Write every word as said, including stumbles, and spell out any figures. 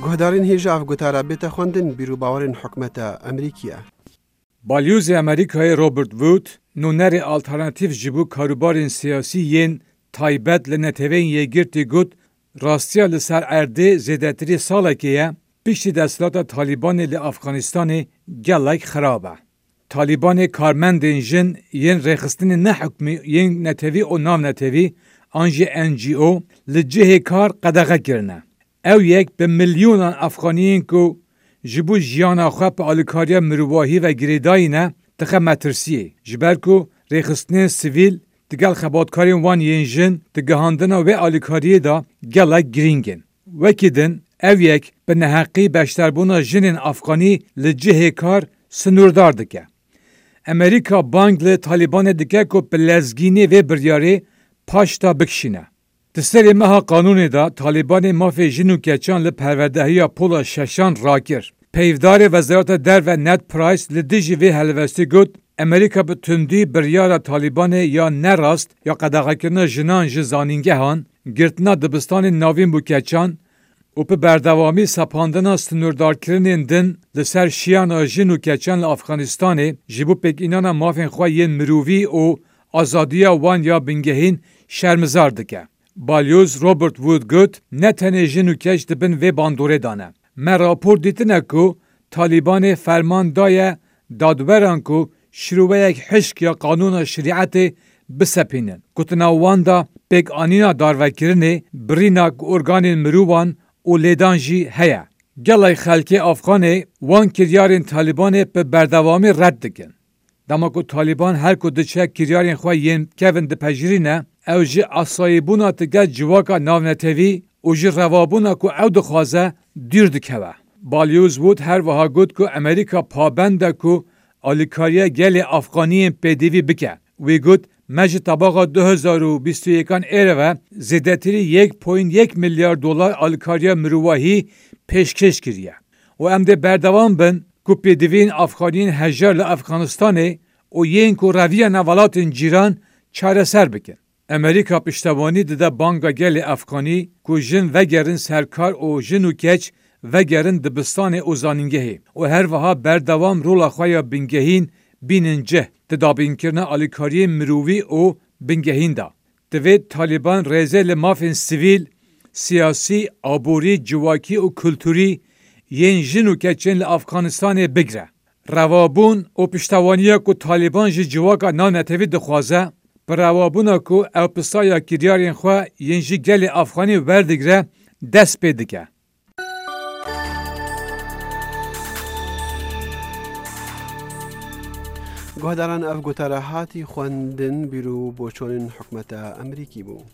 Guhdarên hêja ev gotara bête xwendin bîr û bawerên hikûmeta Amerîkî ye. Balyozê Amerîkayê Robert Wood, nûnerê alternatîf ji bo karûbarên siyasî yên taybet li Neteweyên Yekgirtî got, rastiya li ser erdê zêdetirî salekê ye, piştî desthilata Talîbanê li Afganistanê gelek xirab e. Talîbanê karmendên jin yên rêxistinên nehikmî yên netewî û navnetewî an jî N G O li cihê kar qedexe kirine. Ew yek bi milyonan Afxaniyên ku ji bo jiyana xwe bi alîkariya mirovahî ve girêdayî ne, dixe metirsiyê. Ji ber ku rêxistinên sivîl digel xebatkarên wan yên jin di gihandina wê alîkariyê de gelek girîng in. Wekî din, ev yek bi neheqî beşdarbûna jinên Afxanî li cihê kar sinûrdar dike. Amerîka bang li Talîbanê dike ku bi lezgînê vê biryarê paşta bikişîne. Di serê meha Qanûnê de Talîbanê mafê jin û keçan li perwerdehiya pola şeşan rakir. Peyvdarê Wezareta Derve Ned Price li dijî vê helwestî got, Amerîka bi tundî biryara Talîbanê ya nerast ya qedexekirina jinan ji zanîngehan, girtina dibistanên navîn bo keçan û bi berdewamî sepandina sinûrdarkirinên din li ser şiyana jin û keçan li Afxanistanê ji bo pêkînana mafên xwe yên mirovî û azadiya wan ya bingehîn şermizar dike. Balyoz Robert Wood got, ne tenê jin û keç di bin vê bandorê de ne. Me rapor dîtine ku Talîbanê ferman daye dadweran ku şiroweyek hişk ya qanûna şerîetê bisepînin. Gotina wan de pêkanîna darvekirinê, birîna organên mirovan û lêdan jî heye. Gelek xelkê Afxanê wan kiryarên Talîbanê bi berdewamî red dikin. Dema ku Talîban her ku diçe kiryarên xwe yên kevin dipejirîne, ew ji asayîbûna digel civaka navnetewî û ji revabûna ku ew dixwaze dûr dikeve. Balyoz Wood her wiha got ku Amerîka pabend e ku alîkariya gelê Afxaniyên pêdivî bike. Wî got, me ji tebaxa du hezar û bîst û yekan êre ve zêdetirî yek point yek milyar dolar alîkariya mirovahî pêşkêş kiriye û em dê berdewam bin ku pêdiviyên Afxaniyên hejar li Afxanistanê û yên ku reviyane welatên cîran çareser bikin. Amerîka piştewanî dide banga gelê Afxanî ku jin vegerin ser kar û jin û keç vegerin dibistanê û zanîngehê û her wiha berdewam rola xwe ya bingehîn bînin cih di dabînkirina alîkariyên mirovî û bingehîn de. Divê Talîban rêzê li mafên sivîl, siyasî, aborî, civakî û kulturî yên jin û keçên li Afxanistanê bigire. Revabûn û piştewaniya ku Talîban ji civaka navnetewî dixwaze, bi revabûna ku ew pisaya kiryarên xwe yên ji gelê Afxanî werdigire, dest pê dike. Guhdaran, ev gotara hatî xwendin bîr û boçonên hikûmeta Amerîkî bû.